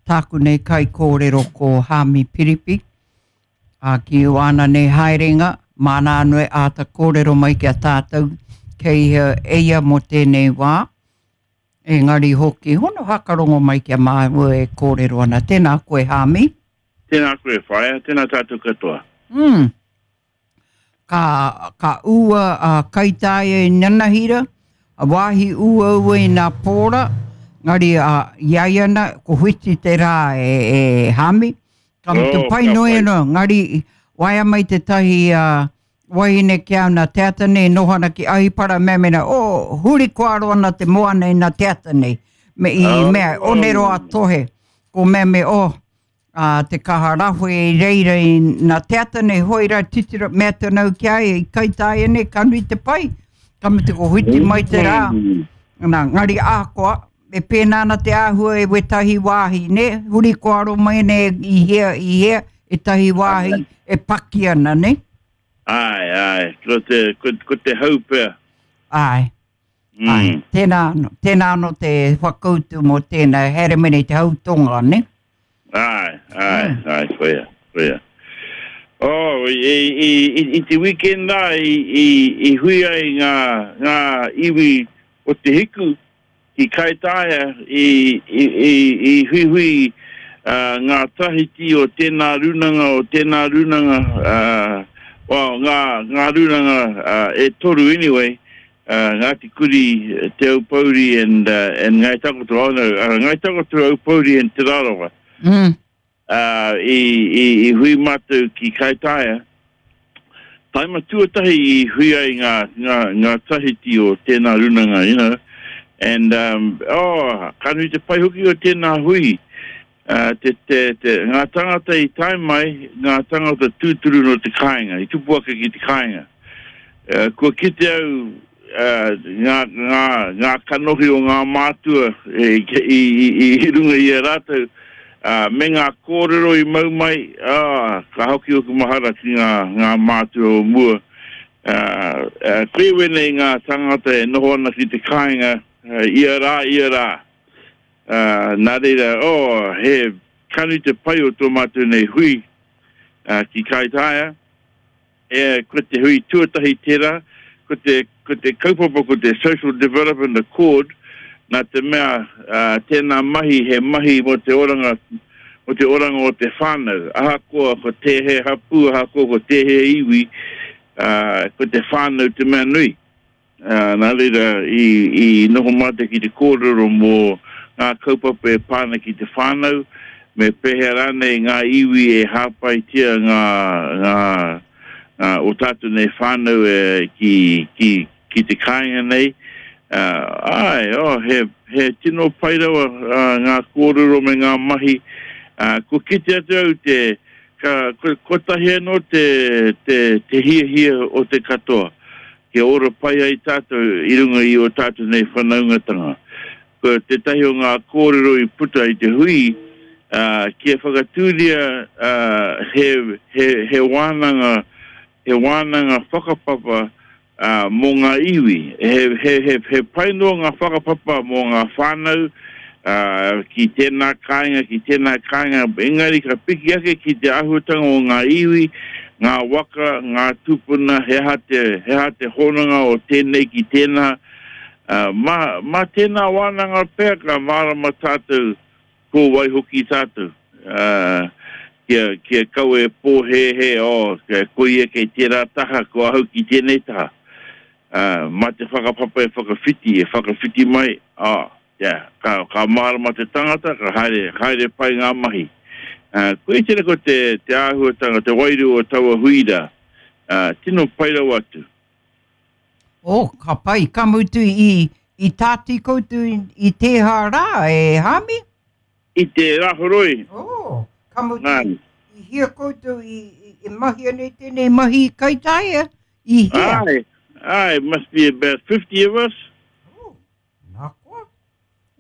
tāku nei kaikōrero ko Hāmi Piripi, ā, ki āna nei haerenga, māna anō e āta kōrero mai ki a tātou kei hea e ia mō tēnei wā. Engari hoki, hono hakarongo mai ki a māua e kōrero ana. Tēnā koe, Hāmi. Tēnā koe, whaea. Tēnā tātou katoa. Mm. Ka, ka ua a Kaitaia i Nanahira, a wāhi uaua i nā pōra, ngari a, i ai ana, ko whiti te rā e, e Hāmi. Ka mutu oh, pai noi anō, ngari waea mai tētahi a, wahine ki au nā te ata nei, noho ana ki Ahipara, mea mena, oh, huri koaro ana te moana i nā te ata nei. Me i oh. mea, onero a tohe, ko mea me, oh, a te kaha rahue i reira i nā te ata nei, hoi rā titiro, mea tana au ki a ia, i Kaitaia nei, ka nui te pai, ka mutu ko whiti mai te rā, nā, ngari ahakoa, e pēnā ana te āhua e wētahi wāhi, nē, huri kōaro mai nei i hea, i hea, ētahi wāhi e paki ana, nē? Āe, āe, ko te, ko, ko te hau pea. Āe, mm. āe, tēnā anō, tēnā anō te whakautu mō tēnā, haere mai nei te hau tonga, nē? Āe, āe, mm. āe, koia, koia. Oh, i, i, i, i te weekend rā, i, i, i hui ai ngā, ngā iwi o te hiku, Ki Kaitaia i, i, i, i huihui uh, ngā tahiti o tēnā rūnanga, o tēnā rūnanga, uh, well, ngā, ngā rūnanga uh, e toru anyway, uh, Ngāti Kuri, Te Aupouri and, uh, and Ngāi Takoto, oh no, uh, Ngāi Takoto, Aupouri and Te Rarawa. Mm. Ā, i, i, i hui mātou ki Kaitaia. Taima tuatahi i hui ai ngā, ngā, ngā tahiti o tēnā runanga, you know. And, um, oh, ka nui te pai hoki o tēnā hui. Uh, te, te, te, ngā tangata i tae mai, ngā tangata tūturu nō te kāinga, i tupu ake ki te kāinga. Uh, kua kite au uh, ngā, ngā, ngā kanohi o ngā mātua i, i, i, i runga i a rātou, Ā, me ngā kōrero i mau mai, ā, ka hoki ōku mahara ki ngā, ngā mātua o mua. Ā, ā, koia wēnei ngā tāngata e noho ana ki te kāinga, ia rā, ia rā. Ā, nā reira, oh, he kanu te pai o tō mātou nei hui, ā, ki Kaitaia. E, ko te hui tuatahi tērā, ko te, ko te kaupapa ko te Social Development Accord, nā te mea, ā, tēnā mahi he mahi mō te oranga, mō te oranga o te whānau. Ahakoa ko tēhea hapū, ahakoa ko tēhea iwi, ā, ko te whānau te mea nui. Ā, nā reira, i, i noho mātou ki te kōrero mō ngā kaupapa e pā ana ki te whānau, me pēhea rānei ngā iwi e hāpaitia ngā, ngā, ngā, o tātou nei whānau e, ki, ki, ki te kāinga nei. Ā, āe, oh, he, he tino pai rawa, ā, ngā kōrero me ngā mahi. Ā, kua kite atu au te, ka, kotahi anō te, te, te hiahia o te katoa. Kia ora pai ai tātou i runga i ō tātou nei whanaungatanga. Ko tētahi o ngā kōrero i puta i te hui, ā, kia whakatūria, ā, he, he, he wānanga, he wānanga whakapapa, ā, mō ngā iwi. He, he, he, he pai noa ngā whakapapa mō ngā whānau, ā, ki tēnā kāinga, ki tēnā kāinga, engari ka piki ake ki te āhuatanga o ngā iwi, ngā waka, ngā tūpuna, he aha te, he aha te hononga o tēnei ki tēnā. Ā, mā, mā tēnā wānanga pea ka mārama tātou ko wai hoki tātou. Ā, kia, kia kaua e pōhēhē, oh, ko ia kei tērā taha, ko ahau ki tēnei taha. Ā, mā te whakapapa e whakawhiti, e whakawhiti mai, ā, Yeah, ka, ka mārama te tangata, ka haere, haere pai ngā mahi. Uh, koia tēnā ko te, te āhuatanga, te wairua o taua hui rā. Uh, tino pai rawa atu. Oh, ka pai, ka mutu i, i tāti koutou i, i tēhā rā, e Hāmi? I te Rāhoroi. Oh, ka mutu, Nā. i hia koutou i, i, i mahia nei tēnei mahi i Kaitaia? I hia? Āe, āe, must be about 50 of us. Oh. Nā koa.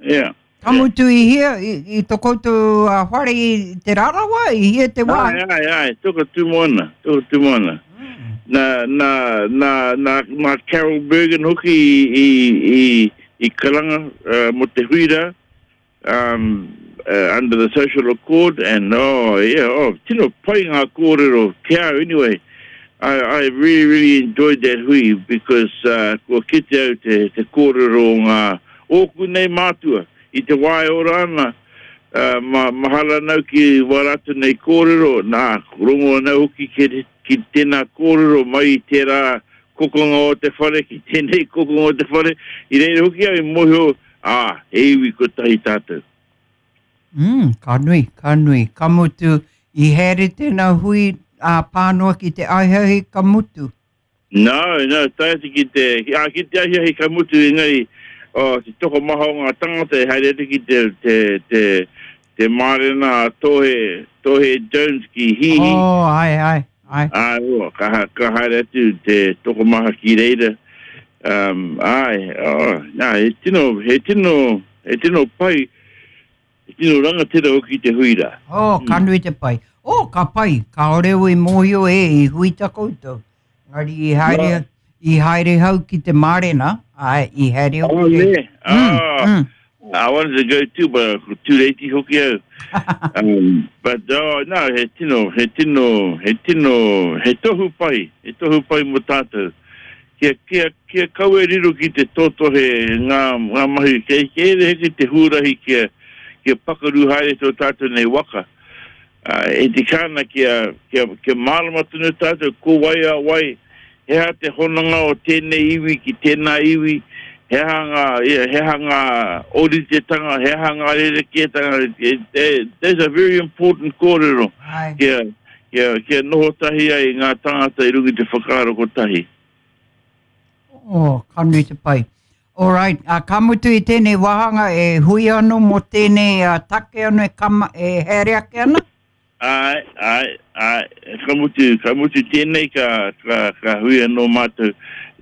Yeah. Ka mutu i hia, i, i to koutou uh, whare i Te Rarawa, i hia te wā? Ai, ai, ai, toka tūmoana, toka tūmoana. Mm. Nā, nā, nā, nā, nā Carol Bergen hoki i, i, i, i karanga uh, mo te hui rā. Um, uh, under the social accord and oh yeah, oh tino pai ngā kōrero ki au anyway. I, I really, really enjoyed that hui because uh, kua kite au te, te kōrero o ngā ōku nei mātua i te wā e ora ana, uh, ma, mahara nau ki wā rātou nei kōrero, nā, rongo ana hoki ki, ki tēnā kōrero mai i tērā kokonga o te whare ki tēnei kokonga o te whare, i reira hoki au i mōhio, ā, he iwi kotahi tātou. Mm, ka nui, ka nui. Ka mutu, i haere tēnā hui ā pānoa ki te ahiahi ka mutu. No, no, tae atu ki te, ā, ki te ahiahi ka mutu, engari, oh, te tokomaha o ngā tangata e haere atu ki te, te, te, te mārena a Tohe, Tohe Jones ki Hihi. Oh, āe, āe, āe. Āe, oh, ka, ka haere atu te tokomaha ki reira. Um, āe, oh, nā, he tino, he tino, he tino pai, he tino rangatira hoki te hui rā. Oh, ka nui te pai. Oh, ka pai, kāore au i mōhio e, i hui ta koutou. Engari i haere, i haere hau ki te mārena, āe, i haere au ki te... Oh, ne? Oh, mm, mm. I wanted to go too, but ko tūreiti hoki au. um, but, oh, no, he tino, he tino, he tino, he tohu pai, he tohu pai mo tātou. Kia, kia, kia kaua e riro ki te totohe ngā, ngā mahi, kei, kei ere heke te huarahi kia, kia pakaru haere tō tātou nei waka. Ā, e tika ana kia, kia, kia mārama tonu tātou ko wai a wai, he aha te hononga o tēnei iwi ki tēnā iwi, he aha ngā, yeah, he aha ngā ōritetanga, he aha ngā rerekētanga, that's a very important kōrero kia, kia, kia noho tahi ai ngā tāngata i runga i te whakaaro kotahi. Oh, ka nui te pai. All right, uh, ka mutu i tēnei wāhanga e hui anō mō tēnei uh, take anō e, kama, e haere ake ana? Āe, āe, āe, ka mutu, ka mutu tēnei ka, ka, ka hui anō mātou.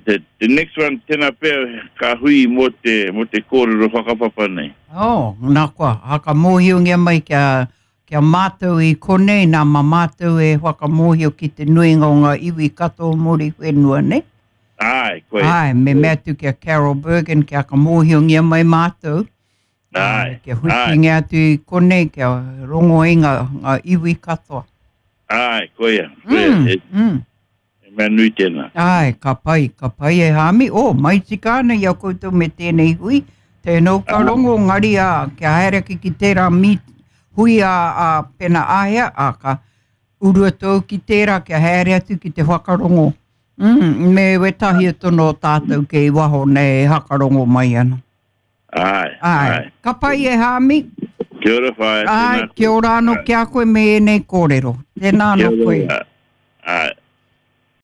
The, the next one, tēnā pea ka hui mō te, mō te kōrero whakapapa nei. Oh, nā koa, whakamōhiongia mai kia, kia mātou i konei, nā mā mātou e whakamōhio ki te nuinga o ngā iwi katoa o Muriwhenua, nei? Āe, koia. Āe, me mea atu ki a Carol Bergen kia whakamōhiongia mai mātou. Āe, Kia whitingia atu i konei, kia rongo ai ngā, ngā iwi katoa. Āe, koia, koia. Mm, he, mm. he mea nui tēnā. Āe, ka pai, ka pai e Hāmi. Oh, mai tika ana i a koutou me tēnei hui. Tēnō ka rongo, ngari ā, kia haere ake ki tērā mīt, hui ā, ā, pena āhea, ā, ka uru atu au ki tērā kia haere atu ki te whakarongo. Mm, me wētahi atu nō tātou kei waho nei e hakarongo mai ana. Āe, āe. Āe. Ka pai e Hāmi. Kia ora whaea, tēnā koe. Āe, kia ora anō ki a koe me ēnei kōrero. Tēnā anō koe. Kia ora. Āe.